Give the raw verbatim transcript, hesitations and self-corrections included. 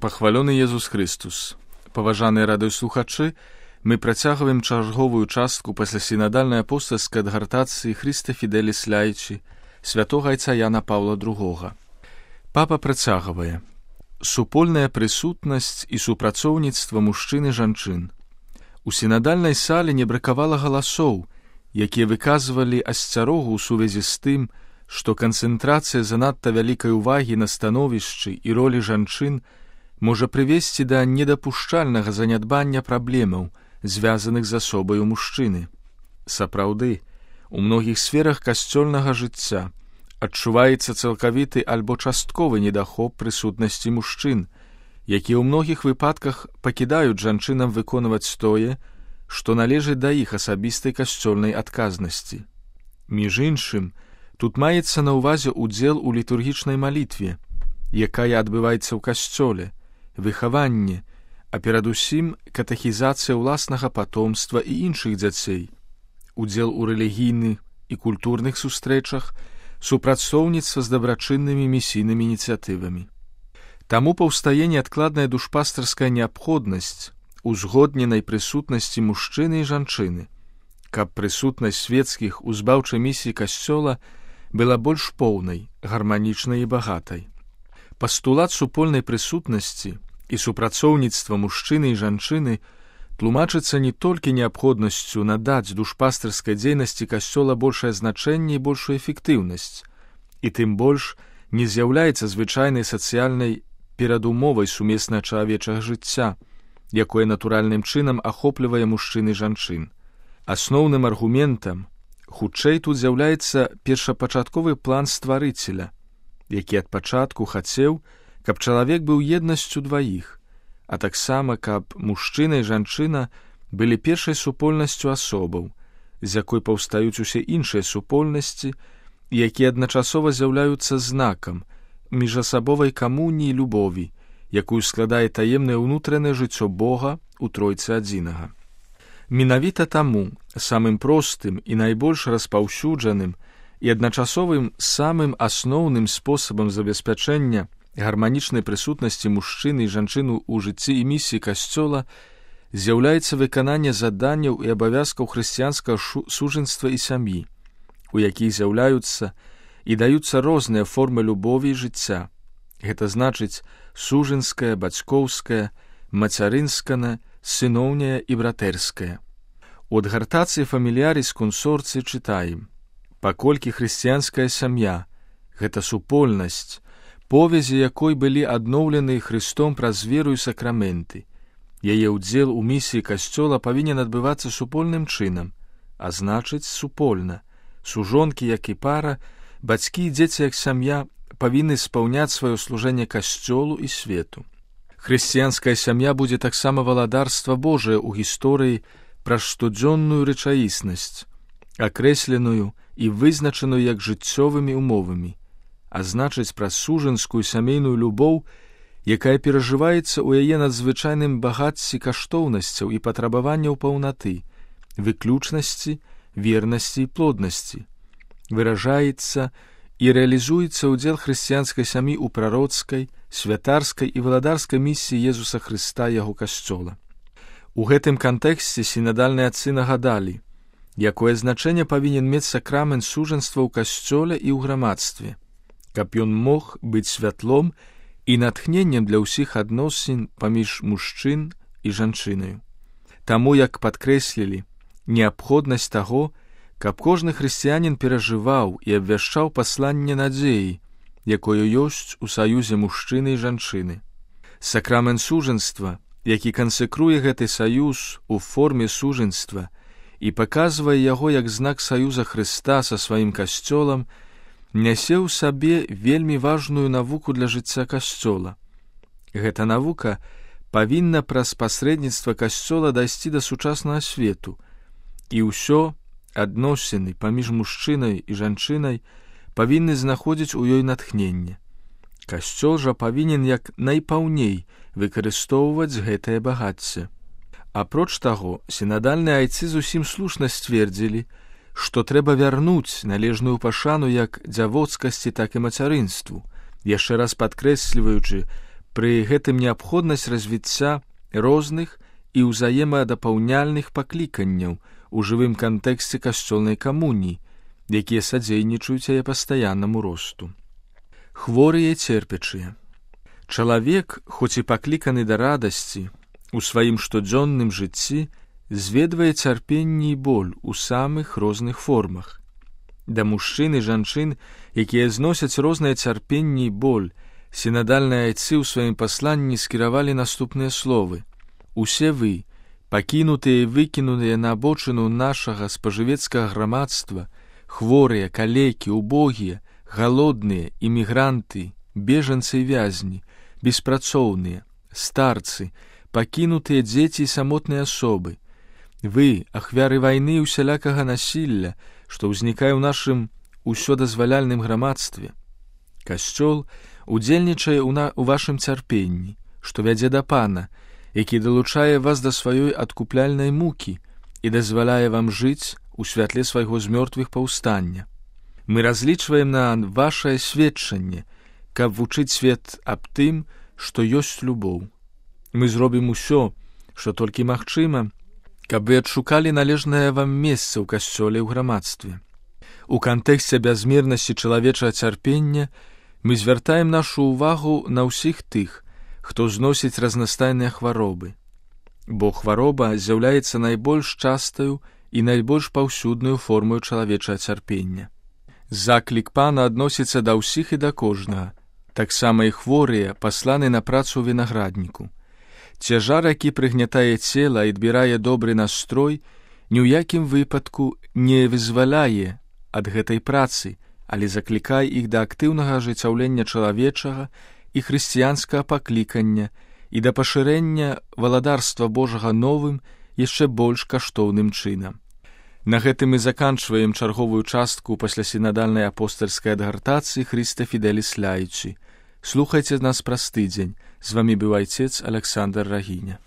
Пахвалёны Езус Христус. Паважаныя радыёслухачы, мы працягваем чарговую частку пасля сінадальнай апостальскай адгартацыі Христа Фіделіс Лайчі, святога айца Яна Паўла другога. Папа працягвае. Супольная прысутнасць і супрацоўніцтва мужчын і жанчын. У сінадальнай сале не бракавала галасоў, якія выказвалі асцярогу ў сувязі з тым, што канцэнтрацыя занадта вялікай увагі на становішчы і ролі жанчын можа прывесці да недапушчальнага занядбання праблемаў, звязаных з асобаю мужчыны. Сапраўды, у многіх сферах касцёльнага жыцця адчуваецца цалкавіты альбо частковы недахоп прысутнасці мужчын, якія ў многіх выпадках пакідаюць жанчынам выконваць тое, што належыць да іх асабістай касцёльнай адказнасці. Між іншым, тут маецца на ўвазе ўдзел у літургічнай малітве, якая адбываецца ў касцёле, выхаванне, а перадусім катэхізацыя ўласнага патомства і іншых дзяцей, удзел у рэлігійных і культурных сустрэчах, супрацоўніцтва з дабрачыннымі місійнымі ініцыятывамі. Таму паўстае неадкладная душпастарская неабходнасць узгодненай прысутнасці мужчыны і жанчыны, каб прысутнасць свецкіх у збаўчай місіі касцёла была больш поўнай, гарманічнай і багатай. Пастулат супольнай прысутнасці і супрацоўніцтва мужчыны і жанчыны тлумачыцца не толькі неабходнасцю надаць душпастарскай дзейнасці касцёла большае значэнне і большую эфектыўнасць, і тым больш не з'яўляецца звычайнай сацыяльнай перадумовай сумеснага чалавечага жыцця, якое натуральным чынам ахоплівае мужчын і жанчын. Асноўным аргументам хутчэй тут з'яўляецца першапачатковы план стварыцеля, які ад пачатку хацеў, каб чалавек быў еднасцю дваіх, а таксама, каб мужчына і жанчына былі першай супольнасцю асобаў, з якой паўстаюць усе іншыя супольнасці, якія адначасова з'яўляюцца знакам міжасабовай камуніі любові, якую складае таемнае ўнутранае жыццё Бога ў Тройцы адзінага. Менавіта таму самым простым і найбольш распаўсюджаным і адначасовым самым асноўным спосабам забеспячэння гарманічнай прысутнасці мужчыны і жанчыну ў жыцці і місіі касцёла з'яўляецца выкананне заданняў і абавязкаў хрысціянскага сужэнства і сям'і, у якіх з'яўляюцца і даюцца розныя формы любові і жыцця. Гэта значыць сужэнская, бацькоўская, мацярынская, сыноўняя і братэрская. У адгартацыі фаміліяріс консорцыі чытаем: паколькі хрысціянская сям'я — гэта супольнасць, повязі якой былі адноўлены Христом праз веру і сакраменты, яе ўдзел у місіі касцёла павінен адбывацца супольным чынам, а значыць супольна. Сужонкі, як і пара, бацькі і дзеці як сям'я павінны спаўняць сваё служэнне касцёлу і свету. Хрысціянская сям'я будзе таксама валадарства Божае ў гісторыі праз штодзённую рэчаіснасць, акрэсленую і вызначаную як жыццёвымі умовамі, а значыць праз сужанскую сямейную любоў, якая перажываецца ў яе надзвычайным багацці каштоўнасцяў і патрабаванняў паўнаты, выключнасці, вернасці і плоднасці. Выражаецца і рэалізуецца ўдзел хрысціянскай сям'і ў прароцкай, святарскай і валадарскай місіі Езуса Хрыста яго касцёла. У гэтым кантэксце сінадальныя адцы нагадалі, якое значэнне павінен мець сакрамент сужанства ў касцёле і ў грамадстве, каб ён мог быць святлом і натхненнем для ўсіх адносін паміж мужчын і жанчынаю. Таму, як падкрэслілі, неабходнасць таго, каб кожны хрысціянін перажываў і абвяшчаў пасланне надзеі, якое ёсць у саюзе мужчыны і жанчыны. Сакрамент сужанства, які кансекруе гэты саюз у форме сужанства і паказвае яго як знак саюза Хрыста са сваім касцёлам, нясе ў сабе вельмі важную навуку для жыцця касцёла. Гэта навука павінна праз пасрэдніцтва касцёла дайсці да сучаснага свету, і ўсё адносіны паміж мужчынай і жанчынай павінны знаходзіць у ёй натхненне. Касцёл жа павінен як найпаўней выкарыстоўваць гэтае багацце. Апроч таго, сінадальныя айцы зусім слушна сцвердзілі, што трэба вярнуць належную пашану як дзявоцкасці, так і мацярынству, яшчэ раз падкрэсліваючы Пры гэтым неабходнасць развіцця розных і ўзаемадапаўняльных пакліканняў у жывым кантэксце касцёльнай камуніі, якія садзейнічаюць яе пастаяннаму росту. Хворыя церпячыя. Чалавек, хоць і пакліканы да радасці, у сваім штодзённым жыцці зведвае цярпенне і боль у самых розных формах. Да мужчын і жанчын, якія зносяць рознае цярпенне і боль, сінадальныя айцы ў сваім пасланні скіравалі наступныя словы: «Усе вы, пакінутыя і выкінутыя на абочыну нашага спажывецкага грамадства, хворыя, калекі, убогія, галодныя, імігранты, бежанцы і вязні, беспрацоўныя, старцы, пакінутыя дзеці і самотныя асобы. Вы, ахвяры вайны і усялякага насілля, што ўзнікае ў нашым усёдазваляльным грамадстве. Касцёл удзельнічае ў, на... у вашым цярпенні, што вядзе да Пана, які далучае вас да сваёй адкупляльнай мукі і дазваляе вам жыць у святле свайго з мёртвых паўстання. Мы разлічваем на вашае сведчанне, каб вучыць свет аб тым, што ёсць любоў. Мы зробім усё, што толькі магчыма, каб вы адшукалі належнае вам месца ў касцёле ў грамадстве. У кантэксце бязмернасці чалавечага цярпення мы звяртаем нашу ўвагу на ўсіх тых, хто зносіць разнастайныя хваробы. Бо хвароба з'яўляецца найбольш частаю і найбольш паўсюднаю формою чалавечага цярпення. Заклік Пана адносіцца да ўсіх і да кожнага. Таксама і хворыя пасланы на працу ў вінаградніку. Цяжар, які прыгнятае цела і адбірае добры настрой, ні ў якім выпадку не вызваляе ад гэтай працы, але заклікае іх да актыўнага ажыццяўлення чалавечага і хрысціянскага паклікання і да пашырэння валадарства Божага новым, яшчэ больш каштоўным чынам. На гэтым мы заканчваем чарговую частку паслясінадальнай апостальскай адгартацыі Хрista Fidelis Laici. Слухайце нас праз тыдзень. З вамі быў айцец Александр Рагіня.